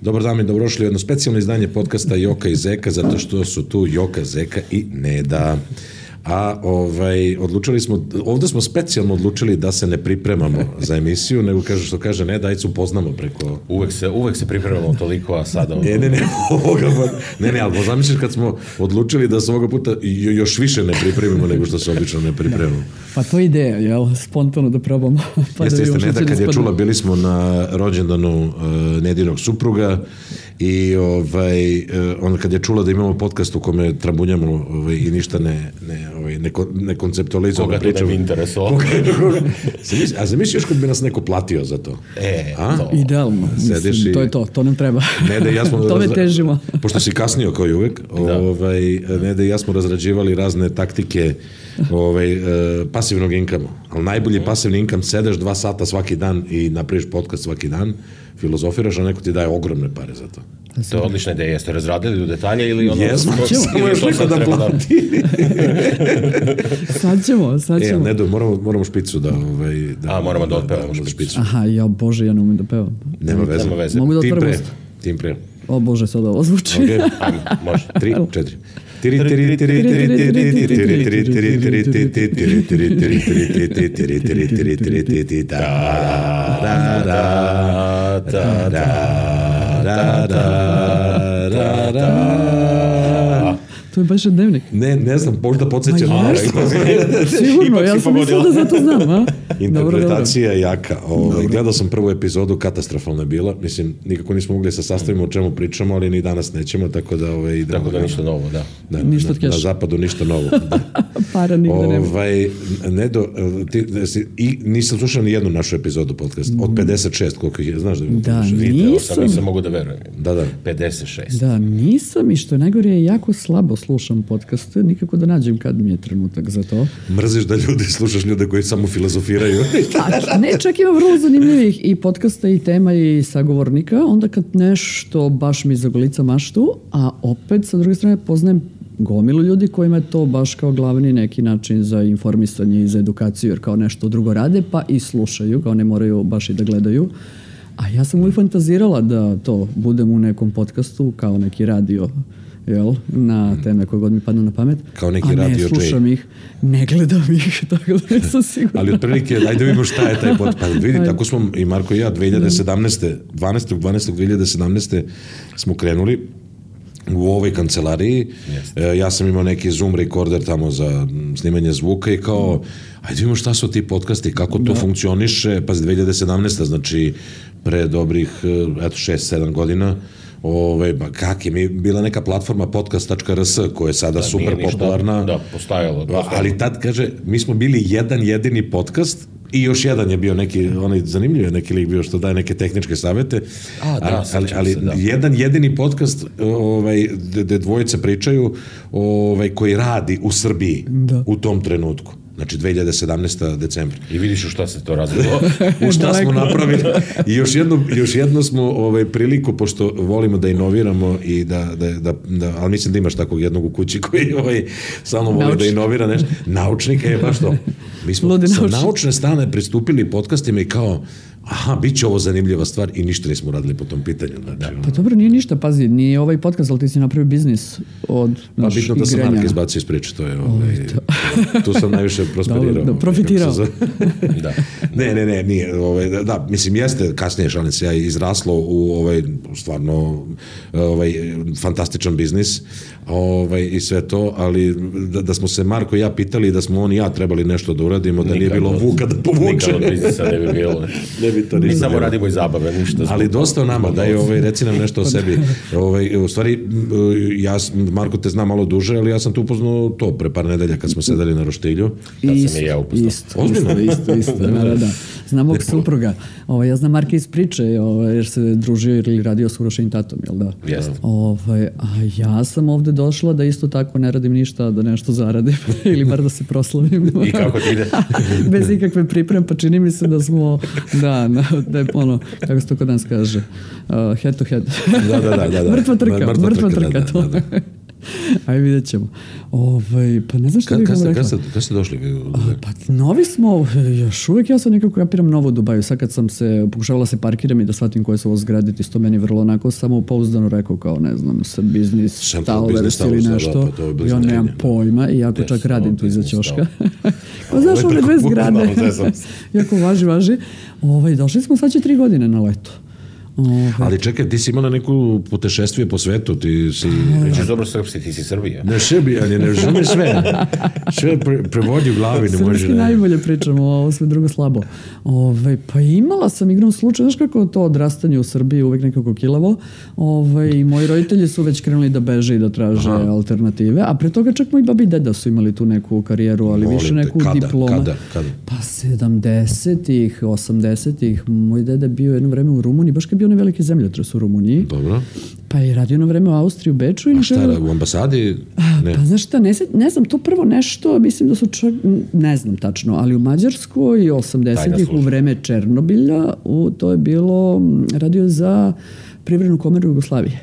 Dobar dan i dobrošli u jedno specijalno izdanje podcasta Joka i Zeka, zato što su tu Joka, Zeka i Neda. A ovdje smo specijalno odlučili da se ne pripremamo za emisiju, nego što kaže Neda, ajde se upoznamo preko... Uvek se pripremamo toliko, a sada... Ne, ali zamisliš kad smo odlučili da se ovoga puta još više ne pripremimo nego što se obično ne pripremamo. Pa to je ideja, jel? Spontano da probamo. Pa jeste, Neda, kad je čula, bili smo na rođendanu Nedinog supruga i onda kad je čula da imamo podcast u kome trabunjamo i ništa ne konceptualizujemo. Koga to ne bi interesovalo? A zamisli još kad bi nas neko platio za to? To. Idealno. Mislim, to je to nam treba. Neda i ja smo tome težimo. Pošto si kasnio kao i uvek, Neda i ja smo razrađivali razne taktike pasivnog inkama. Ali najbolji pasivni inkam, sedeš 2 sata svaki dan i napraviš podcast svaki dan, filozofiraš, a neko ti daje ogromne pare za to. To je odlična ideja. Jeste razradili u detalje ili ono... Jesmo, samo još neko da plati. Sad ćemo. Nedo, moramo špicu da... moramo da otpevamo špicu. Aha, Bože, ja ne umem da pevam. Nema veze. Mogu da otvaram usta? Tim pre. O Bože, sad ovo zvuči. Ok, ajmo, može. 3, 4. To je baš dnevnik. Ne znam, možda podsjeća na nešto. Sigurno, ja sam mislila da zato znam, a? Interpretacija je jaka. Gledao sam prvu epizodu, katastrofalna je bila. Mislim, nikako nismo mogli se sastavimo o čemu pričamo, ali ni danas nećemo, tako da idemo. Tako da ništa novo, da. Na zapadu ništa novo. Para nigde nema. Nedo, nisam slušao ni jednu našu epizodu podcasta. Od 56, koliko ih je, znaš da nisam mogu da verujem. Da. 56. Da, nisam i što je najgore je jako slabo slušam podcaste, nikako da nađem kad mi je trenutak za to. Mrziš da slušaš ljude koji samo filozofiraju? Ne, čak ima vrlo zanimljivih i podcasta i tema i sagovornika, onda kad nešto baš mi zagolica maštu, a opet sa druge strane poznajem gomilu ljudi kojima je to baš kao glavni neki način za informisanje i za edukaciju, jer kao nešto drugo rade, pa i slušaju, kao ne moraju baš i da gledaju. A ja sam uvijek fantazirala da to budem u nekom podcastu kao neki radio, jel, na teme koje god mi padnu na pamet. Kao neki radio ne slušam ih, ne gledam ih, tako da nisam sigurna. Ali otprilike, ajde vidimo šta je taj podcast. Pa vidi, tako smo i Marko i ja 12.12.2017. smo krenuli u ovoj kancelariji. Ja sam imao neki Zoom recorder tamo za snimanje zvuka i kao, ajde vidimo šta su ti podcasti, kako to funkcioniše, pa 2017. znači pre dobrih 6-7 godina. Kak je mi bila neka platforma podcast.rs koja je sada super popularna. Da, postajalo. Ali tad, kaže, mi smo bili jedan jedini podcast i još jedan je bio neki, onaj zanimljiv je neki lik bio što daje neke tehničke savete. Ali jedan jedini podcast gde dvojice pričaju koji radi u Srbiji u tom trenutku. Znači 2017. decembra. I vidiš u šta se to radilo. U šta smo napravili. I još jedno smo priliku, pošto volimo da inoviramo i ali mislim da imaš takvog jednog u kući koji samo voli da inovira nešto. Naučnika je baš to. Mi smo sa naučne strane pristupili podcastima i kao, aha, bit će ovo zanimljiva stvar i ništa nismo radili po tom pitanju. Znači, pa dobro, nije ništa, pazi, nije ovaj podcast, ali ti si napravio biznis od naš bitno da sam Marka izbacio iz priče, to je tu sam najviše prosperirao. Da, profitirao. Ne, nije. Da, mislim, jeste kasnije, šalim se, ja izraslo u stvarno fantastičan biznis i sve to, ali da smo se Marko i ja pitali da smo on i ja trebali nešto da uradimo, da nije bilo vuka da povuče. Nikad od biznisa ne bi bilo. Mi samo radimo i zabave, ništa. Ali dosta o nama, daj, reci nam nešto o sebi. U stvari, ja, Marko, te znam malo duže, ali ja sam tu upoznao to pre par nedelja kad smo sedeli na roštilju. Da sam i ja upoznao. Isto, da. Znam ovog supruga. Ja znam Marka iz priče, jer se družio ili radio s Urošim tatom, jel da? Jeste. A ja sam ovde došla da isto tako ne radim ništa, da nešto zaradim ili bar da se proslavim. I kako ti ide? Bez ikakve pripreme, pa čini mi se da smo da je ono, kako se to kod nas kaže, head to head. Da. Mrtva trka. Ajde, vidjet ćemo. Pa ne znam što bih vam rekla. Kad ste došli? Pa novi smo, još uvijek ja sam nekako kapiram novo u Dubaju. Sad kad sam se pokušavala se parkiram i da shvatim koje su ovo zgrade, to meni vrlo onako samopouzdano rekao kao, ne znam, biznis Towers ili nešto. Ja nemam pojma, iako čak radim tu iza ćoška. Pa znaš, one dve zgrade. Jako važi. Došli smo sad će 3 godine na leto. Ali čekaj, ti si imala neku putešestvije po svetu, ti si... Pričaš dobro srpski, ti si Srbija. Ne sebi, ali ne razumeš sve. Sve prevodi u glavi, ne može... Srpski najbolje pričamo, ovo sve drugo slabo. Pa imala sam igrom slučaj, znaš kako to odrastanje u Srbiji uvek nekako kilavo. I moji roditelji su već krenuli da beže i da traže alternative, a pre toga čak moji babi i deda su imali tu neku karijeru, ali više neku diplomu. Kada? Pa 70-ih, 80-ih, moj deda bio jedno vreme u Rumuniji, baš kad bio onaj veliki zemljotres u Rumuniji. Dobro. Pa je radio na vreme u Austriji, u Beču. A šta, u ambasadi? Ne. Pa znaš šta, ne znam, to prvo nešto, mislim da su čak, ne znam tačno, ali u Mađarskoj 80-ih u vreme Černobilja, to je bilo, radio za Privrednu komoru Jugoslavije.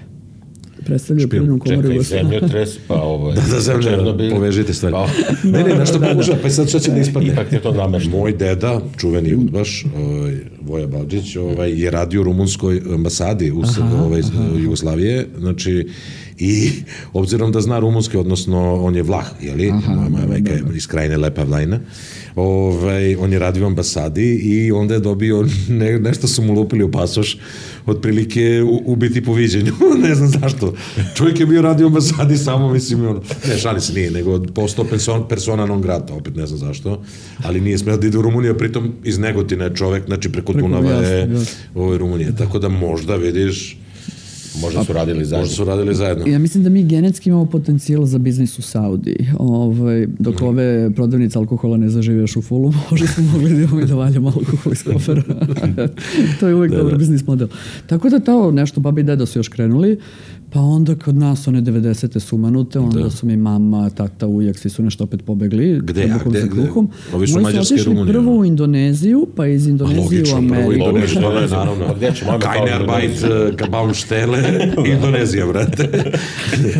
Predstavljaju Privrednu komoru Jugoslavije. Čekaj, zemljotres, pa Černobil. Povežite stvari. Ne, nešto pokušava, pa sad što će da ispadne. Ipak je to namešteno. Moj deda, čuveni udbaš, Voja Balđić, je radio u rumunskoj ambasadi u Jugoslavije, znači, i obzirom da zna rumunski, odnosno on je Vlah, jeli? Moja majka je iz krajine Lepa Vlajna. On je radio u ambasadi i onda je dobio, nešto su mu lupili u pasoš, otprilike ubiti po viđenju. Ne znam zašto. Čovjek je bio radio u ambasadi samo, mislim, ne, šali se nije, nego postao persona non grata, opet ne znam zašto, ali nije smeo da ide u Rumuniju, pritom iz Negotina je čovjek, znači preko Dunava je Rumunije. Tako da možda vidiš, možda su radili zajedno. Ja mislim da mi genetski imamo potencijal za biznis u Saudiji. Dok ove prodavnice alkohola ne zažive još u fullu, možda smo mogli da imamo i da valjamo alkohol iz kofera. To je uvijek dobar biznis model. Tako da to nešto babi i deda su još krenuli, pa onda kod nas one 90. sumanute, onda su mi mama, tata, ujak, svi su nešto opet pobegli. Gde? Ovi su mađarske Rumunije. Prvo u Indoneziju, pa iz Indonezije u Ameriku. Logično, naravno. Kajnerbajt, Baumštele, Indonezija, brate.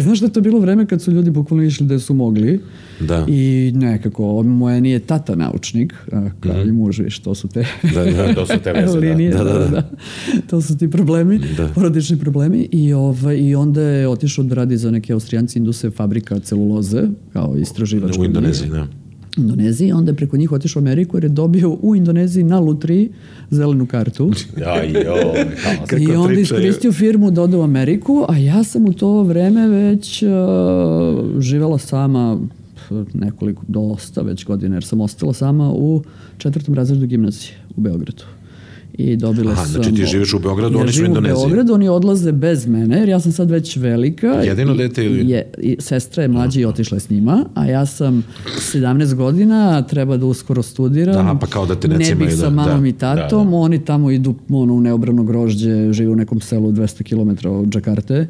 Znaš da je to bilo vreme kad su ljudi bukvalno išli gde su mogli. Da. I nekako, moje nije tata naučnik, kao i muž, viš, to su te to su te veze, linije, da. To su ti problemi, porodični problemi. I onda je otišao da radi za neke Austrijanci induse fabrika celuloze, kao istraživački. U Indoneziji, da. Indoneziji, onda je preko njih otišao u Ameriku jer je dobio u Indoneziji na lutriji zelenu kartu. I onda iskoristio firmu da ode u Ameriku, a ja sam u to vreme već živela sama dosta već godine, jer sam ostala sama u 4. razredu gimnazije u Beogradu. I dobila sam... Znači ti živiš u Beogradu, oni su u Indoneziji. Ja živim u Beogradu, oni odlaze bez mene, jer ja sam sad već velika. Jedino dete ili... Sestra je mlađa i otišla s njima, a ja sam 17 godina, treba da uskoro studiram. Pa kao da te ne bih sa mamom i tatom, oni tamo idu u neobrano grožđe, žive u nekom selu 200 km od Džakarte,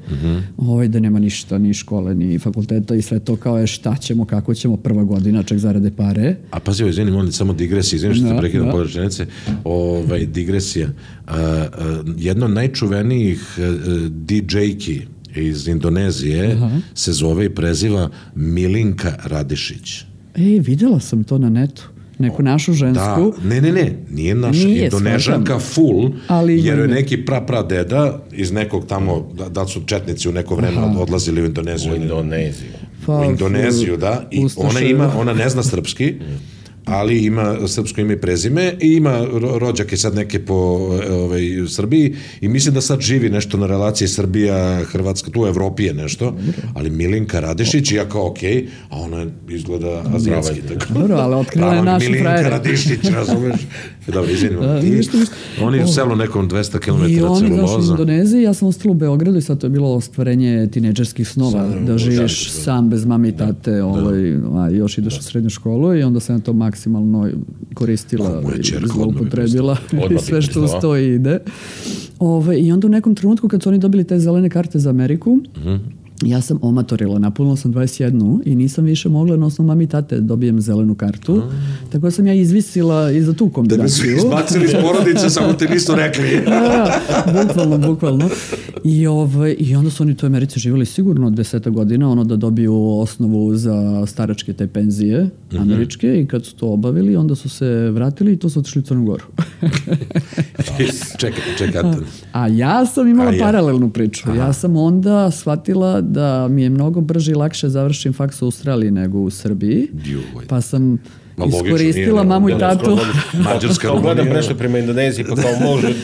da nema ništa, ni škole, ni fakulteta i sve to kao je šta ćemo, kako ćemo, prva godina, čak zarade pare. A pazi, izvinim, on samo digresija, izvinim što te prekidam podrečenice, digresija. Jedna od najčuvenijih DJ-ki iz Indonezije se zove i preziva Milinka Radišić. Videla sam to na netu. Neku našu žensku. Ne, nije naša. Indonežanka full, jer je neki deda iz nekog tamo, da su četnici u neko vreme odlazili u Indoneziju. U Indoneziju, da. I ona ne zna srpski, ali ima srpsko ime i prezime i ima rođake sad neke po Srbiji i mislim da sad živi nešto na relaciji Srbija-Hrvatska, tu u Evropi je nešto, ali Milinka Radišić, ja kao okej, a ona izgleda azijatski. Dobro, ali otkrila je našu frajere. Milinka Radišić, razumeš? Dobro, izvinimo. Oni je u selu nekom 200 km celuloza. I oni zašli u Indoneziji, ja sam ostala u Beogradu i sad to je bilo ostvarenje tinejdžerskih snova, da živiš sam bez mame i tate, još ideš u srednju školu i onda sam ja to maksimalno koristila i zloupotrebila i sve što uz to ide. I onda u nekom trenutku kad su oni dobili te zelene karte za Ameriku, ja sam omatorila, napunila sam 21 i nisam više mogla na osnovu mami i tate dobijem zelenu kartu. Tako da sam ja izvisila i za tu kombinaciju. Da bi su izbacili iz porodice, samo te nisu rekli. Bukvalno. I onda su oni u toj Americi živjeli sigurno 10 godina, da dobiju osnovu za staračke te penzije američke i kad su to obavili, onda su se vratili i to su otišli u Crnu Goru. Čekaj. A ja sam imala paralelnu priču. Ja sam onda shvatila da mi je mnogo brže i lakše završim faks u Australiji nego u Srbiji. Pa sam iskoristila mamu i tatu. Mađarska gledam nešto prema Indoneziji, pa kao može,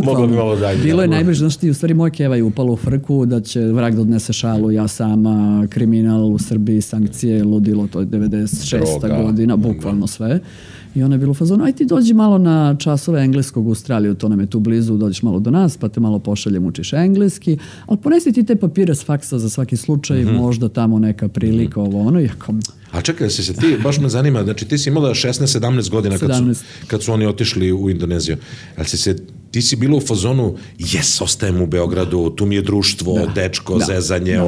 moglo bi malo dalje. Bilo je najbliže, znaš ti, u stvari moj keva je upalo u frku da će vrag da odnese šalu, ja sama, kriminal u Srbiji, sankcije, ludilo, to je 96. godina, bukvalno sve. I ona je bila u fazonu, aj ti dođi malo na časove engleskog u Australiju, to nam je tu blizu, dođeš malo do nas, pa te malo pošaljem, učiš engleski, ali ponesi ti te papire s faksa za svaki slučaj, možda tamo neka prilika, A čekaj, si se ti, baš me zanima, znači ti si imala 16-17 godina kad su oni otišli u Indoneziju, ali ti si bila u fazonu, ostajem u Beogradu, tu mi je društvo, dečko, zezanje,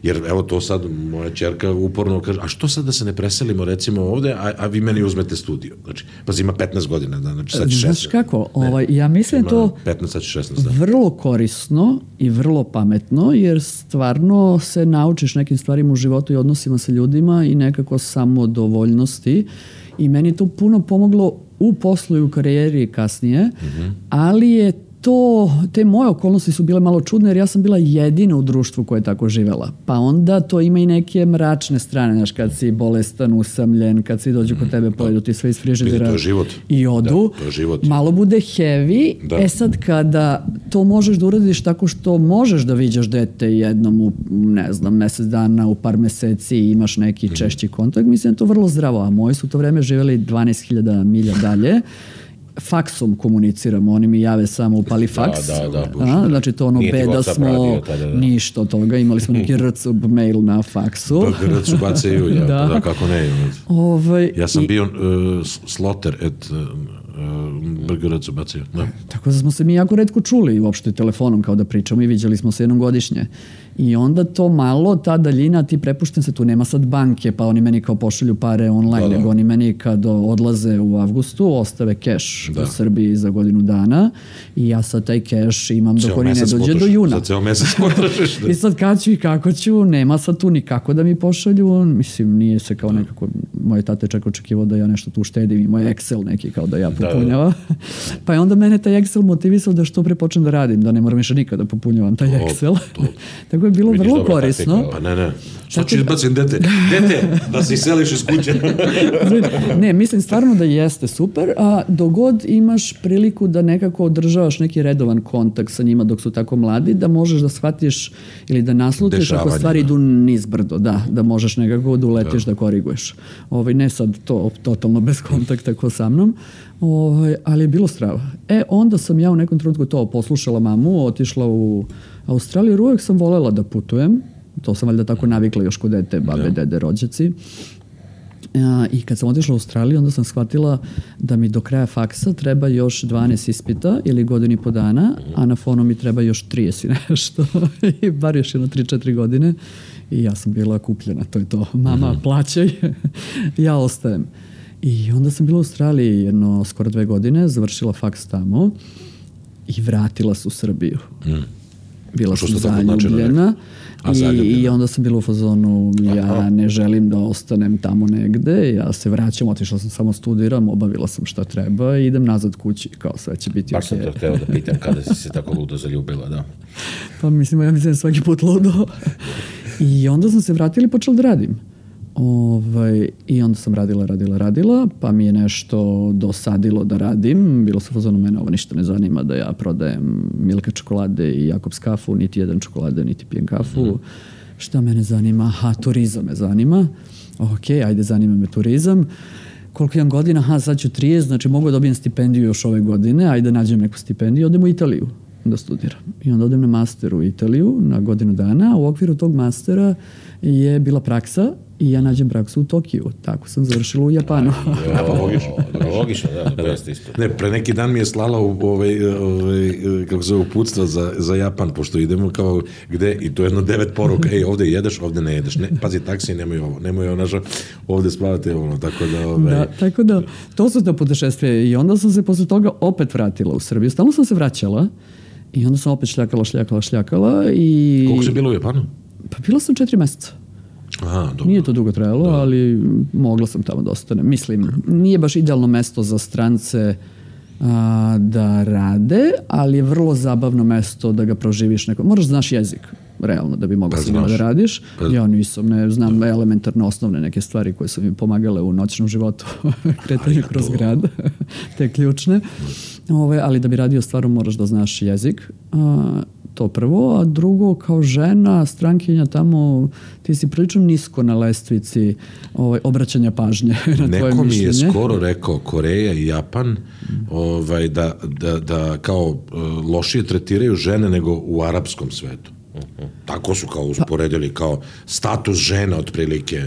jer evo to sad moja ćerka uporno kaže, a što sad da se ne preselimo recimo ovde, a vi meni uzmete studio, znači, pa ima 15 godina, znači sad 16. Znaš kako, ja mislim to 15, sad 16, vrlo korisno i vrlo pametno, jer stvarno se naučiš nekim stvarima u životu i odnosima sa ljudima i nekako samodovoljnosti i meni je to puno pomoglo u poslu i u karijeri kasnije, ali je te moje okolnosti su bile malo čudne jer ja sam bila jedina u društvu koja je tako živela. Pa onda to ima i neke mračne strane, znaš, kad si bolestan, usamljen, kad si dođu kod tebe, pojedu ti sve iz frižidera i odu. Malo bude heavy. Sad kada to možeš da uradiš tako što možeš da viđaš dete jednom u, ne znam, mesec dana, u par meseci i imaš neki češći kontakt, mislim da je to vrlo zdravo. A moji su to vreme živjeli 12.000 milja dalje. Faksom komuniciramo, oni mi jave samo upali faks. Znači to beda smo, ništa od toga, imali smo neki rcub mail na faksu. Rcub bacaju, kako ne. Ja sam bio sloter et brgarac bacaju. Tako da smo se mi jako retko čuli uopšte telefonom kao da pričamo i viđali smo se jednom godišnje. I onda to malo, ta daljina, ti prepušten se, tu nema sad banke, pa oni meni kao pošalju pare online, nego oni meni kad odlaze u avgustu, ostave keš u Srbiji za godinu dana i ja sad taj keš imam dok oni ne dođe do juna. Za ceo mesec potrošiš. I sad kad ću i kako ću, nema sad tu nikako da mi pošalju, mislim, nije se kao nekako, moje tate čak očekivao da ja nešto tu štedim i moj Excel neki kao da ja popunjava. Pa je onda mene taj Excel motivisao da što pre počnem da radim, da ne moram više nikada popunjavam taj Excel. Tako je bilo vrlo korisno. Pa ne. Što ću izbacim dete, da se iseliš iz kuće. Ne, mislim stvarno da jeste super, a dogod imaš priliku da nekako održavaš neki redovan kontakt sa njima dok su tako mladi, da možeš da shvatiš ili da naslutiš ako stvari idu nizbrdo, da možeš nekako da uletiš, da koriguješ. Ne sad to totalno bez kontakta ko sa mnom, ali je bilo strava. Onda sam ja u nekom trenutku to poslušala mamu, otišla u Australiju, jer uvijek sam volela da putujem. To sam valjda tako navikla još kod dete, babe, dede, rođaci. I kad sam otišla u Australiju, onda sam shvatila da mi do kraja faksa treba još 12 ispita ili godinu i po dana, a na fonu mi treba još 30 i nešto. I bar još 3-4 godine. I ja sam bila kupljena, to je to. Mama, plaćaj, ja ostajem. I onda sam bila u Australiji skoro 2 godine, završila faks tamo i vratila se u Srbiju. Bila sam zaljubljena i onda sam bila u fazonu, ja ne želim da ostanem tamo negde, ja se vraćam, otišla sam samo studiram, obavila sam šta treba i idem nazad kući, kao sve će biti baš sam to hteo da pitam kada si se tako ludo zaljubila, da. Pa mislim, ja mislim svaki put ludo. I onda sam se vratila i počela da radim. I onda sam radila, pa mi je nešto dosadilo da radim. Bilo se fazonu, mene ovo ništa ne zanima da ja prodajem Milka čokolade i Jakobs kafu, niti jedan čokolade, niti pijem kafu. Šta mene zanima? Turizam me zanima. Ajde, zanima me turizam. Koliko imam godina? Sad ću 30, znači mogu da dobijem stipendiju još ove godine, ajde nađem neku stipendiju, odem u Italiju da studiram. I onda odem na master u Italiju na godinu dana. U okviru tog mastera je bila praksa i ja nađem praksu u Tokiju. Tako sam završila u Japanu. Logično, da, to jeste isto. Ne, pre neki dan mi je slala kako se uputstva za Japan, pošto idemo kao gde, i to je jedno 9 poruka, ovde jedeš, ovde ne jedeš. Ne, pazi, taksi, nemoj ovo našo, ovde spavate, tako da... Da, tako da, to su to putešestvije i onda sam se posle toga opet vratila u Srbiju. Stalno sam se vraćala i onda sam opet šljakala i... Koliko si bila u Japanu? Pa bila sam 4 meseca. Aha, dobro. Nije to dugo trajalo, ali mogla sam tamo da ostanem. Mislim, nije baš idealno mesto za strance da rade, ali je vrlo zabavno mesto da ga proživiš neko. Moraš znaš jezik, realno, da bi mogla sa njima da radiš. Ja nisam, ne znam elementarne osnovne neke stvari koje su mi pomagale u noćnom životu, kretanju kroz grad, te ključne. Ali da bi radio stvarno moraš da znaš jezik. To prvo, a drugo, kao žena, strankinja tamo, ti si prilično nisko na lestvici obraćanja pažnje na tvoje mišljenje. Neko mi je skoro rekao Koreja i Japan da kao lošije tretiraju žene nego u arapskom svetu. Tako su kao usporedili kao status žena otprilike.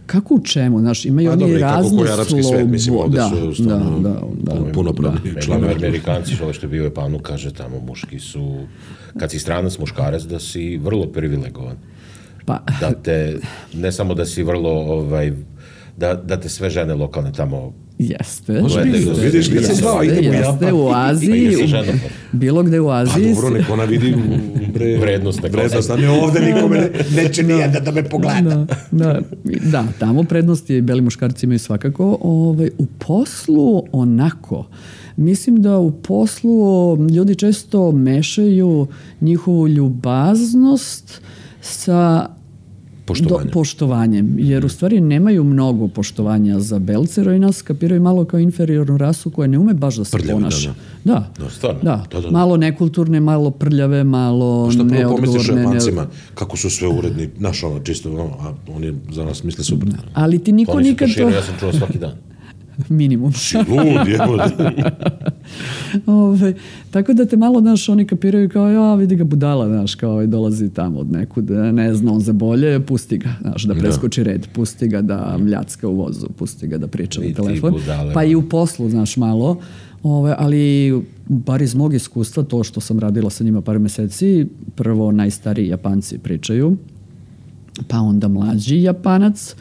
Kako u čemu? Znaš, imaju oni razne slobu. Punopravni članovi. Amerikanci, što je bio u Japanu, kaže tamo muški su, kad si stranac muškarac, da si vrlo privilegovan. Da te, ne samo da si vrlo, da te sve žene lokalne tamo jeste. Vidiš gdje se zvao, idemo u Japan. U Aziji, bilo gde u Aziji. Pa dobro, neko ona vidi vrednost. A ne ovde nikome neće nijedan da me pogleda. Da, tamo prednosti i beli muškarci imaju svakako. U poslu onako. Mislim da u poslu ljudi često mešaju njihovu ljubaznost sa poštovanjem, jer u stvari nemaju mnogo poštovanja za belce, jer nas kapiraju malo kao inferiornu rasu koja ne ume baš da se ponaša. Da. Malo nekulturne, malo prljave, malo neodgovorne. Šta prvo pomisliš o Japancima, kako su sve uredni, naš čisto, a oni za nas misle super. Ali ti niko nikad to... Ja sam čuo svaki dan. Minimum. Si lud, tako da te malo, znaš, oni kapiraju kao, vidi ga budala, znaš, kao dolazi tamo od nekud, ne zna on za bolje, pusti ga, znaš, da preskoči red, pusti ga da mljacka u vozu, pusti ga da priča na telefon, pa i u poslu, znaš, malo, ali bar iz mog iskustva, to što sam radila sa njima par meseci, prvo najstariji Japanci pričaju, pa onda mlađi Japanac,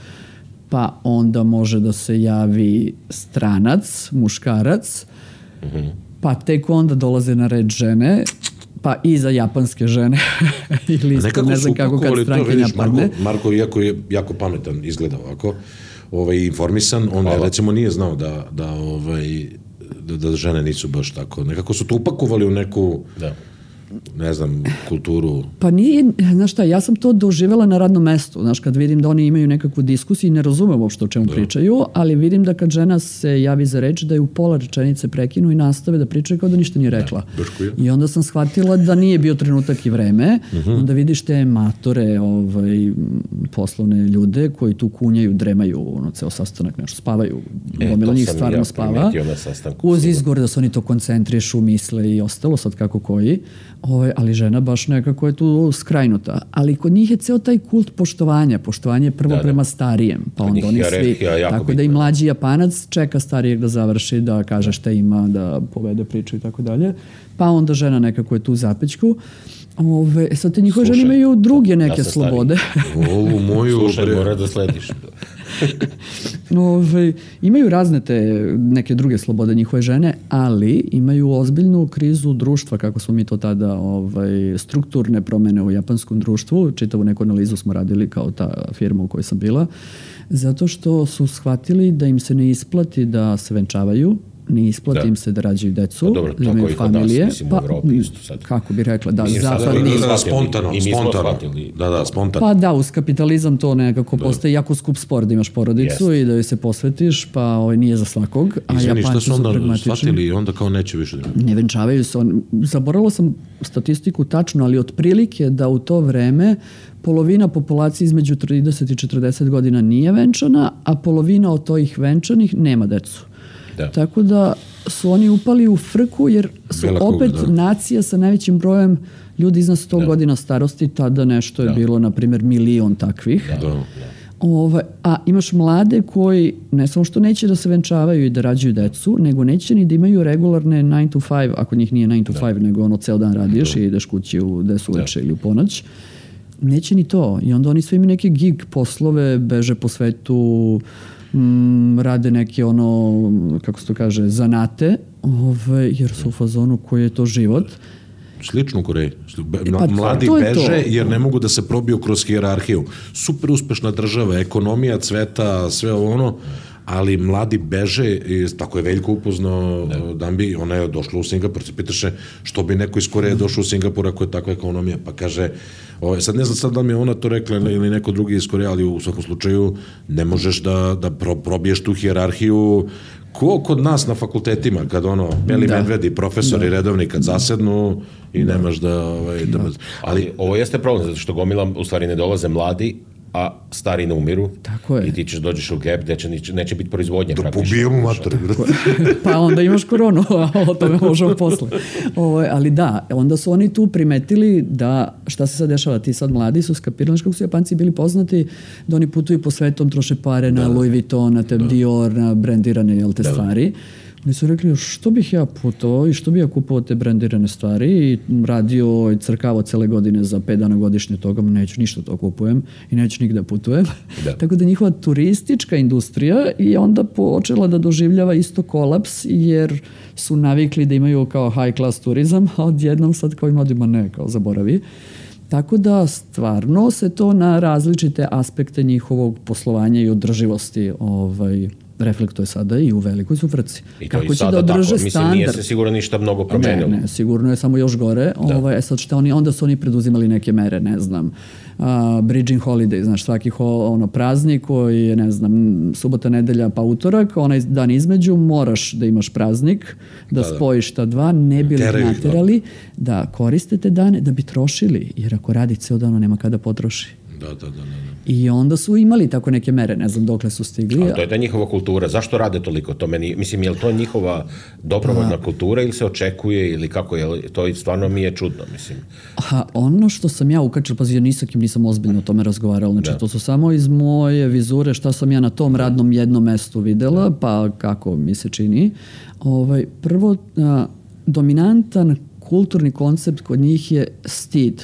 pa onda može da se javi stranac, muškarac, pa tek onda dolaze na red žene, pa i za japanske žene, ili isto, ne znam kako kad strankinja padne. Marko, iako je jako pametan, izgleda ovako, informisan, on recimo nije znao da žene nisu baš tako. Nekako su to upakovali u neku... ne znam, kulturu. Pa nije, znaš šta, ja sam to doživjela na radnom mestu, znaš, kad vidim da oni imaju nekakvu diskusiju i ne razumem uopšte o čemu pričaju, ali vidim da kad žena se javi za reč, da je u pola rečenice prekinu i nastave da pričaju kao da ništa nije rekla. I onda sam shvatila da nije bio trenutak i vreme, onda vidiš te matore, poslovne ljude koji tu kunjaju, dremaju, ceo sastanak, nešto, spavaju, gomila njih stvarno spava, uz izgovor da se oni to koncentrišu, misle i ostalo, sad kako koji. Ali žena baš nekako je tu skrajnuta. Ali kod njih je ceo taj kult poštovanja. Poštovanje je prvo prema starijem. Pa onda oni svi, tako da i mlađi Japanac čeka starijeg da završi, da kaže šta ima, da povede priču i tako dalje. Pa onda žena nekako je tu u zapećku. Sad te njihove žene imaju druge neke slobode. Slušaj, mora da slediš. Imaju razne te neke druge slobode njihove žene, ali imaju ozbiljnu krizu društva, kako smo mi to tada strukturne promene u japanskom društvu. Čitavu neku analizu smo radili kao ta firma u kojoj sam bila, zato što su shvatili da im se ne isplati da se venčavaju, ne isplati im se da rađaju decu, da imaju familije. Kako bi rekla, spontano. Pa da, uz kapitalizam to nekako postaje jako skup spor da imaš porodicu i da joj se posvetiš, pa nije za svakog. Izvini, šta su onda shvatili i onda kao neće više? Ne venčavaju se. Zaboravila sam statistiku tačno, ali otprilike da u to vreme polovina populacije između 30 i 40 godina nije venčana, a polovina od tojih venčanih nema decu. Tako da su oni upali u frku jer su opet nacija sa najvećim brojem ljudi iznad 100 godina starosti, tada nešto je bilo, na primjer, 1.000.000 takvih. A imaš mlade koji ne samo što neće da se venčavaju i da rađaju decu, nego neće ni da imaju regularne 9 to 5, ako njih nije 9 to 5, nego ono ceo dan radiš i ideš kući u 10 uveče ili u ponoć. Neće ni to. I onda oni sve imaju neke gig poslove, beže po svetu, rade neke kako se to kaže, zanate, jer su u fazonu koji je to život. Slično u Koreji. Mladi beže jer ne mogu da se probiju kroz hijerarhiju. Super uspešna država, ekonomija cveta, sve ali mladi beže, i tako je Veljko upoznao Dambi, ona je došla u Singapur, se pitaše što bi neko iz Koreje došao u Singapur ako je takva ekonomija, pa kaže, sad ne znam da mi je ona to rekla ili neko drugi iz Koreje, ali u svakom slučaju ne možeš da probiješ tu hijerarhiju ko kod nas na fakultetima, kad beli medvedi, profesori redovni, kad zasednu i nemaš da... Ali ovo jeste problem, zato što gomila u stvari ne dolaze mladi, a stari ne umiru. Tako je. I ti ćeš dođeš u gap gde neće biti proizvodnje praktično. Da pobijemo mater. Pa onda imaš koronu, a o tome možemo posle. Ali da, onda su oni tu primetili da, šta se sad dešava, ti sad mladi su skapirali kako su Japanci bili poznati, da oni putuju po svetom, troše pare na Louis Vuitton, na Dior, na brendirane stvari. Oni su rekli, što bih ja putovao i što bih ja kupovao te brendirane stvari i radio i crkavao cele godine za 5 dana godišnje toga, neću ništa to kupujem i neću nigde putujem. Tako da njihova turistička industrija je onda počela da doživljava isto kolaps jer su navikli da imaju kao high class turizam, a odjednom sad kao mladima ne, kao zaboravi. Tako da stvarno se to na različite aspekte njihovog poslovanja i održivosti reflektuje sada i u velikoj su frci. I to kako će da održe standard. Mislim, nije se sigurno ništa mnogo promenilo. Ne, sigurno je samo još gore. Sad šta onda su oni preduzimali neke mere, ne znam, bridging holiday, znaš, svaki praznik koji je, ne znam, subota, nedelja pa utorak, onaj dan između moraš da imaš praznik, da spojiš ta dva, ne bi li naterali da koriste te dane, da bi trošili, jer ako radi ceo dan, nema kada potroši. Da. I onda su imali tako neke mere, ne znam dokle su stigli. Ali to je ta njihova kultura. Zašto rade toliko? To meni, mislim, je li to njihova dobrovoljna kultura ili se očekuje ili kako je? To stvarno mi je čudno, mislim. Ono što sam ja ukačila, pazi, ja nisam ozbiljno o tome razgovarala. Znači, to su samo iz moje vizure šta sam ja na tom radnom jednom mestu videla, pa kako mi se čini. Prvo, dominantan kulturni koncept kod njih je stid.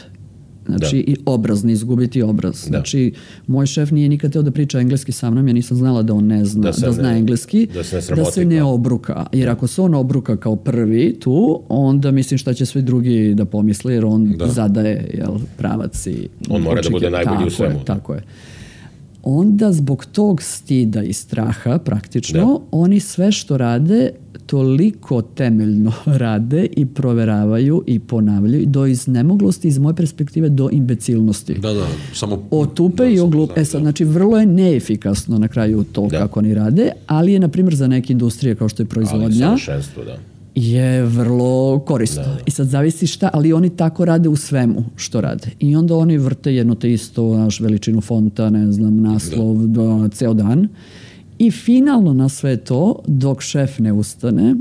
Znači, i obraz, ne izgubiti obraz. Znači, moj šef nije nikad teo da priča engleski sa mnom, ja nisam znala da on ne zna, da zna engleski, da se ne obruka. Jer ako se on obruka kao prvi tu, onda mislim šta će svi drugi da pomisle, jer on zadaje pravac i... On mora da bude najbolji u svemu. Tako je. Onda zbog tog stida i straha praktično, oni sve što rade toliko temeljno rade i proveravaju i ponavljaju do iznemoglosti, iz moje perspektive do imbecilnosti. Samo... Otupe i oglupe. Znači, vrlo je neefikasno na kraju to kako oni rade, ali je, na primjer, za neke industrije kao što je proizvodnja, je vrlo korisno. I sad zavisi šta, ali oni tako rade u svemu što rade. I onda oni vrte jedno te isto, naš veličinu fonta, ne znam, naslov, ceo dan. I finalno na sve to, dok šef ne ustane,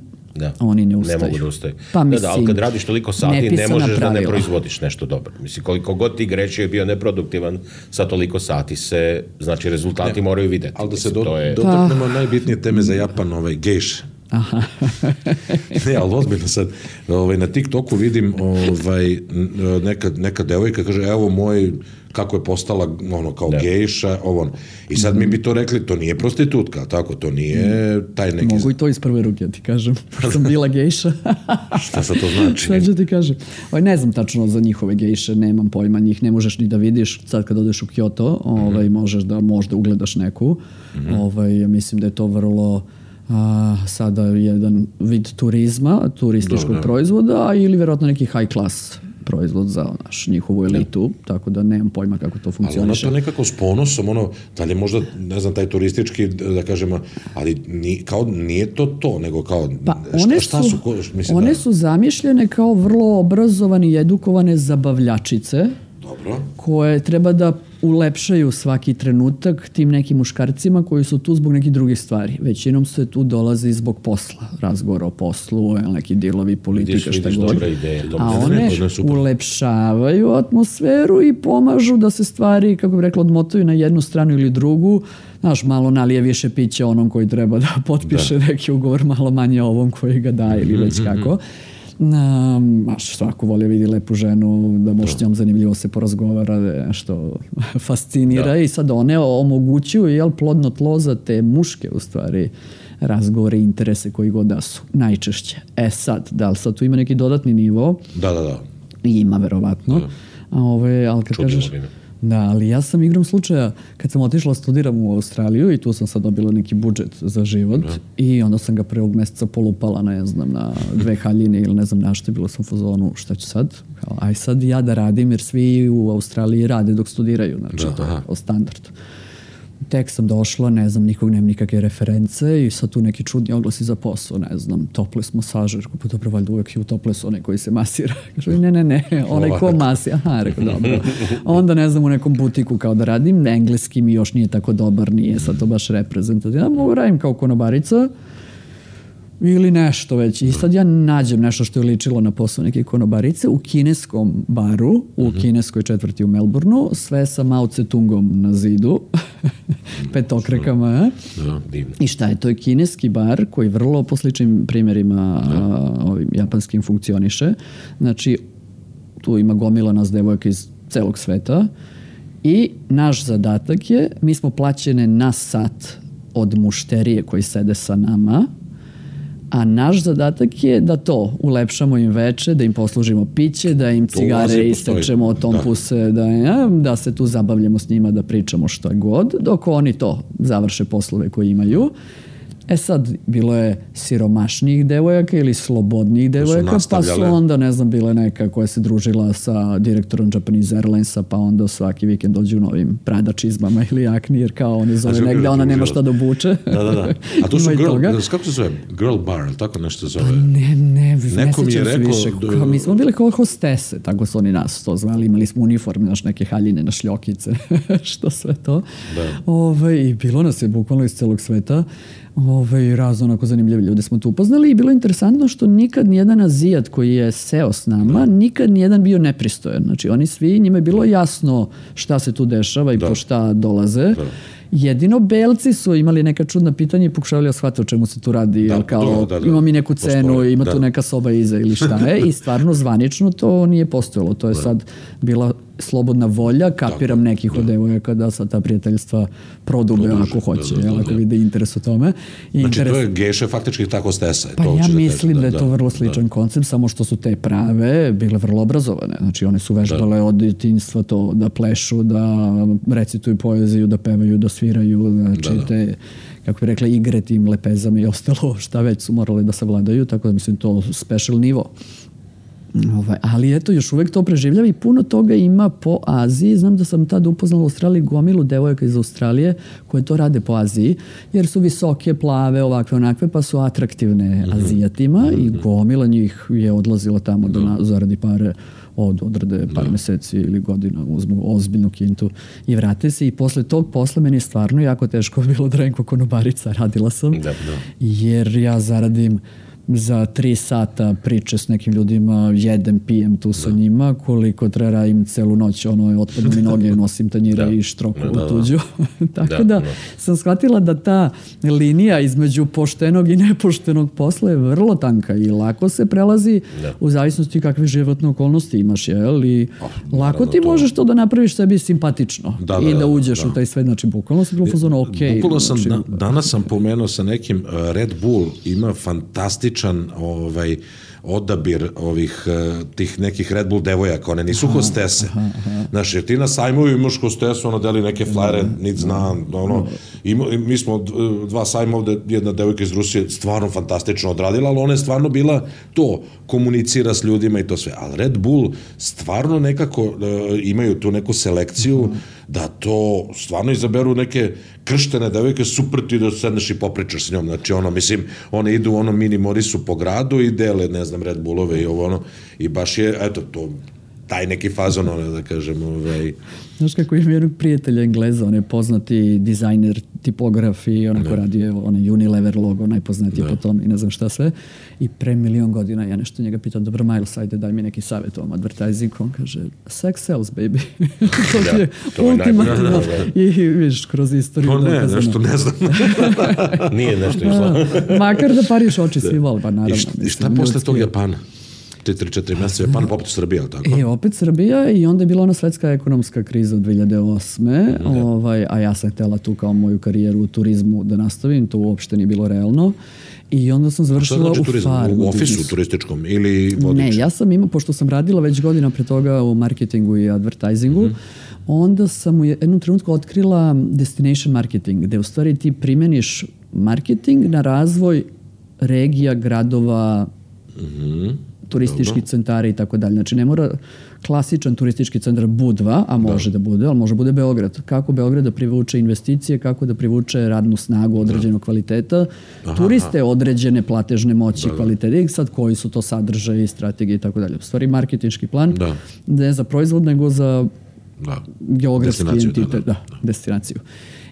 oni ne ustaju. Ne mogu da ustaju. Pa mislim, ali kad radiš toliko sati, ne možeš da ne proizvodiš nešto dobro. Mislim, koliko god ti grešio je bio neproduktivan, sa toliko sati se, znači, rezultati moraju videti. Ali da se dotaknemo najbitnije teme za Japan, gejše. Ne, ali ozbiljno sad, na TikToku vidim neka devojka kaže, evo moj, kako je postala kao gejša, i sad mi bi to rekli, to nije prostitutka, tako, to nije taj neki... Mogu i to iz prve ruke ti kažem, pošto sam bila gejša. Šta sad to znači? Šta ću ti kažem? Ne znam tačno za njihove gejše, nemam pojma, njih ne možeš ni da vidiš, sad kad odeš u Kyoto, možeš da možda ugledaš neku, ja mislim da je to vrlo... sada jedan vid turizma, turističkog proizvoda ili vjerojatno neki high class proizvod za njihovu elitu, tako da nemam pojma kako to funkcioniše. Ali ono to nekako s ponosom, da li je možda, ne znam, taj turistički, da kažemo, ali kao nije to, nego kao, šta su? One su zamišljene kao vrlo obrazovani i edukovane zabavljačice, koje treba da ulepšaju svaki trenutak tim nekim muškarcima koji su tu zbog nekih drugih stvari. Većinom se tu dolazi zbog posla, razgovor o poslu, neki dilovi, politika, šta god. A one ulepšavaju atmosferu i pomažu da se stvari, kako bih rekla, odmotaju na jednu stranu ili drugu. Znaš, malo nalije više pića onom koji treba da potpiše neki ugovor, malo manje ovom koji ga daje ili već kako. Svako volio vidi lepu ženu, da može s njom zanimljivo se porazgovara, nešto fascinira i sad one omogućuju plodno tlo za te muške u stvari razgovore i interese koji god da su, najčešće. Sad, da li sad tu ima neki dodatni nivo? Da. Ima, verovatno. Ali kad kažeš... Da, ali ja sam igrom slučaja, kad sam otišla studiram u Australiju i tu sam sad dobila neki budžet za život i onda sam ga prvog meseca polupala, ne znam, na 2 haljine ili ne znam na što, bilo sam u fazonu, šta ću sad? Aj sad ja da radim, jer svi u Australiji rade dok studiraju, znači to je o standardu. Tek sam došla, ne znam, nikog nema nikakve reference i sad tu neki čudni oglasi za posao, ne znam, topless masažer, pa dobro, valjda uvijek je u topless onaj koji se masira. Kažu, ne, onaj ko masi. Aha, rekao, dobro. Onda, ne znam, u nekom butiku kao da radim, engleski mi još nije tako dobar, nije sad to baš reprezentativno. Mogu radim kao konobarica ili nešto već. I sad ja nađem nešto što je ličilo na posao neke konobarice u kineskom baru, u kineskoj četvrti u Melbourneu, sve sa Mao Tse-tungom na zidu, petokrekama. I šta je? To je kineski bar koji vrlo po sličnim primjerima ovim japanskim funkcioniše. Znači, tu ima gomila nas devojaka iz celog sveta i naš zadatak je, mi smo plaćene na sat od mušterije koji sede sa nama, a naš zadatak je da to ulepšamo im veče, da im poslužimo piće, da im cigare isečemo, tompuse, da se tu zabavljamo s njima, da pričamo što je god, dok oni to završe poslove koje imaju. Sad, bilo je siromašnijih devojaka ili slobodnijih devojaka, pa su onda, ne znam, bile neka koja se družila sa direktorom Japanese Airlinesa, pa onda svaki vikend dođu u novim Prada čizmama ili jakni, jer kao oni zove negde, ona nema šta da obuče. Da. A tu su kako se zove? Girl bar, ili tako nešto zove? Ne sjećam se više. Mi smo bili kao hostese, tako su oni nas to zvali, imali smo uniforme, naš neke haljine na šljokice, što sve to. I bilo nas je bukvalno iz celog sveta. Razno onako zanimljivi ljudi smo tu upoznali i bilo je interesantno što nikad nijedan Azijat koji je seo s nama, nikad nijedan bio nepristojan. Znači oni svi, njima je bilo jasno šta se tu dešava i po šta dolaze. Jedino belci su imali neka čudna pitanja i pokušavali da shvate o čemu se tu radi, ima mi neku cenu, ima tu neka soba iza ili šta je, i stvarno zvanično to nije postojalo. To je sad bila slobodna volja, kapiram nekih od devojaka da sad ta prijateljstva prodube ako hoće, ako vide interes u tome. Znači to je geše faktički tako stesa. Pa ja mislim da je to vrlo sličan koncept, samo što su te prave bile vrlo obrazovane. Znači one su vežbale od djetinjstva to da plešu, da recituju poeziju, da pevaju, da sviraju, znači te, kako bi rekla, igre tim lepezama i ostalo, šta već su morali da savladaju, tako da mislim to special nivo. Ali eto, još uvek to preživljava i puno toga ima po Aziji. Znam da sam tada upoznala u Australiji gomilu devojaka iz Australije koje to rade po Aziji, jer su visoke, plave, ovakve, onakve, pa su atraktivne Azijatima i gomila njih je odlazila tamo da zaradi pare, odrade par meseci ili godina, uzmu ozbiljnu kintu i vrate se. I posle tog posla meni je stvarno jako teško bilo da radim konobarica, radila sam, jer ja zaradim za 3 sata priče s nekim ljudima, jedem, pijem tu sa njima, koliko treba im celu noć, otpadnu mi noge, nosim tanjire i štroku u tuđu. Tako da sam shvatila da ta linija između poštenog i nepoštenog posla je vrlo tanka i lako se prelazi u zavisnosti kakve životne okolnosti imaš, i lako ti možeš to da napraviš sebi simpatično i da uđeš u taj svet, znači bukvalno sam bilo fazono okej. Bukvalno sam, danas sam pomenuo sa nekim, Red Bull ima fantastičan odabir tih nekih Red Bull devojaka, one nisu hostese. Znaš, jer ti na sajmu imaš hostesu, ona deli neke flajere, nit znam, mi smo 2 sajma ovde, jedna devojka iz Rusije stvarno fantastično odradila, ali ona je stvarno bila to, komunicira s ljudima i to sve. Ali Red Bull stvarno nekako imaju tu neku selekciju da to stvarno izaberu neke krštene devojke, super ti da sedneš i popričaš s njom. Znači, mislim, one idu u mini Morisu po gradu i dele, ne znam, Red Bullove i i baš je, eto, to taj neki fazon, da kažem. Znaš kako imam jednog prijatelja Engleza, on je poznati dizajner, tipograf i onako radio onaj Unilever logo, najpoznatiji po tom i ne znam šta sve. I pre 1.000.000 godina ja nešto njega pitao, dobro Miles, ajde daj mi neki savjet o ovom advertisingu. On kaže, sex sells, baby. To je ultimativno. I viš, kroz istoriju. To ne, nešto ne znam. Nije nešto išlo. Makar da pariš oči svi vole, pa naravno. I šta posle tog Japana? 3-4 mjeseca Japan, pa opet Srbija, tako? Opet Srbija i onda je bila ona svetska ekonomska kriza od 2008. A ja sam htjela tu kao moju karijeru u turizmu da nastavim, to uopšte nije bilo realno. I onda sam završila u farmu. U ofisu turističkom ili vodič? Ne, ja sam imao, pošto sam radila već godina pre toga u marketingu i advertisingu, onda sam u jednom trenutku otkrila destination marketing, gde u stvari ti primeniš marketing na razvoj regija, gradova, turističkih centara i tako dalje. Znači, ne mora klasičan turistički centar Budva, a može da bude, ali može bude Beograd. Kako Beograd da privuče investicije, kako da privuče radnu snagu određenog kvaliteta, turiste određene platežne moći kvaliteta i sad koji su to sadržaje i strategije i tako dalje. U stvari, marketinški plan ne za proizvod, nego za geografski entitet, destinaciju.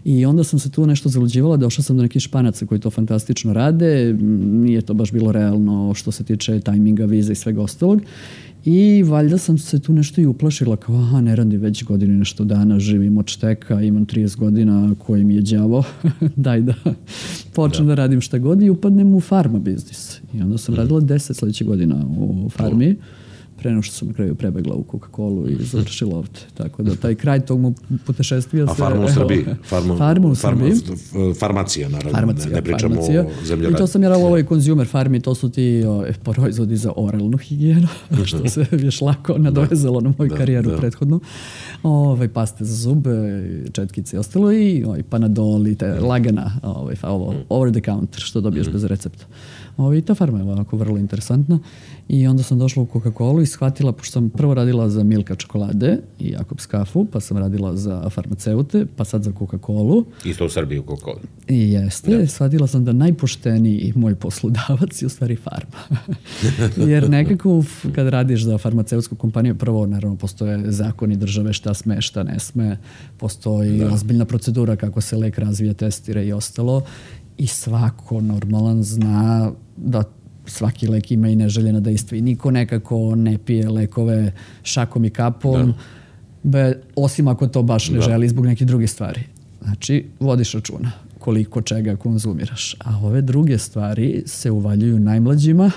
I onda sam se tu nešto zaluđivala, došla sam do nekih Španaca koji to fantastično rade, nije to baš bilo realno što se tiče tajminga, viza i svega ostalog. I valjda sam se tu nešto i uplašila, kao ne radi već godinu nešto dana, živim od šteka, imam 30 godina, koji mi je đavo, daj da počnem da radim šta god i upadnem u farma biznis. I onda sam radila 10 sljedećih godina u farmi. Pre nego što sam na kraju prebegla u Coca-Colu i završila ovdje. Tako da taj kraj tog mu putešestvija se... A farma u Srbiji? Farma u Srbiji. Farmacija, naravno. Ne pričamo o zemljoradnju. I to sam radila u ovoj consumer farmi, to su ti proizvodi za oralnu higijenu, što se još lako nadovezalo na moju karijeru prethodnu. Paste za zube, četkice i ostalo i Panadol i lagana, over the counter, što dobiješ bez recepta. I ta farma je ovako vrlo interesantna. I onda sam došla u Coca-Colu i shvatila, pošto sam prvo radila za Milka čokolade i Jakobs kafu, pa sam radila za farmaceute, pa sad za Coca-Colu. Isto u Srbiji u Coca-Colu. I jeste. Shvatila sam da najpošteniji moj poslodavac je u stvari farma. Jer nekako kad radiš za farmaceutsku kompaniju, prvo naravno postoje zakoni države šta sme, šta ne sme, postoji ozbiljna procedura kako se lek razvija, testira i ostalo. I svako normalan zna da svaki lek ima i neželjena dejstva i niko nekako ne pije lekove šakom i kapom, osim ako to baš ne želi zbog nekih drugih stvari. Znači, vodiš računa koliko čega konzumiraš. A ove druge stvari se uvaljuju najmlađima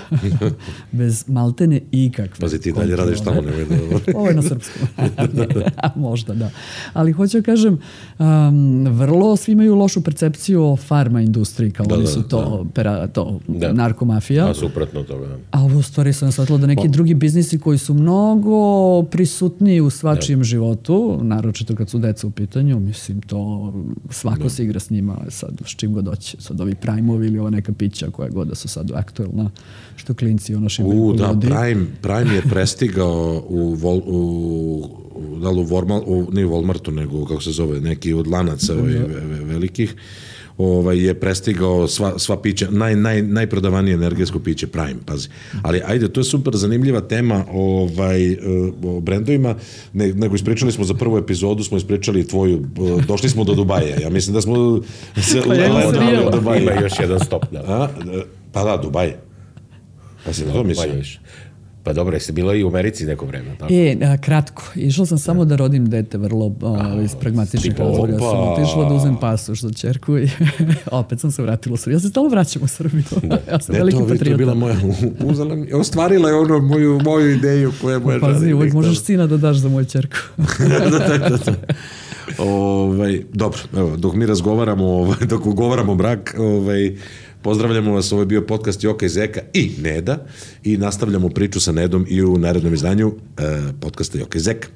bez maltene ikakve. Pazi, ti dalje radiš tamo. Ovo je na srpskom. Možda, da. Ali hoću da kažem, vrlo svi imaju lošu percepciju o farma industriji, kao oni su to narkomafija. A suprotno toga. A ovo u stvari sam shvatila da neki drugi biznisi koji su mnogo prisutniji u svačijem životu, naročito kad su deca u pitanju, mislim, to svako se igra s njima sad s čim god doći. Sad ovi Prime-ovi ili ova neka pića koja god da su sad aktuelna, što klinci ono šimaju kod ljudi. Prime je prestigao nije u Walmartu, nego kako se zove, neki od lanaca velikih, je prestigao sva pića, najprodavanije energetsko piće Prime, pazi. Ali ajde, to je super zanimljiva tema o brendovima, nego ispričali smo za prvu epizodu, smo ispričali tvoju, došli smo do Dubaja. Ja mislim da smo se u Dubaja. Ima još jedan stop. Pa da, Dubaj. Pa si to misliš? Pa dobro, jesi bila i u Americi neko vreme? Tako? Kratko. Išla sam samo da rodim dete vrlo iz pragmatičnih razloga. Sam otišla da uzem pasoš za ćerku i opet sam se vratila u Srbiju. Ja se stalno vraćam u Srbiju. Ja sam veliki patriota. To je bila moja ostvarila je ono moju ideju koja je moja žena. Pazi, uvijek možeš sina da daš za moju ćerku. Dobro, evo, dok mi razgovaramo, dok ugovaramo brak, pozdravljamo vas, ovo je bio podcast Joka i Zeka i Neda i nastavljamo priču sa Nedom i u narednom izdanju podcasta Joka i Zeka.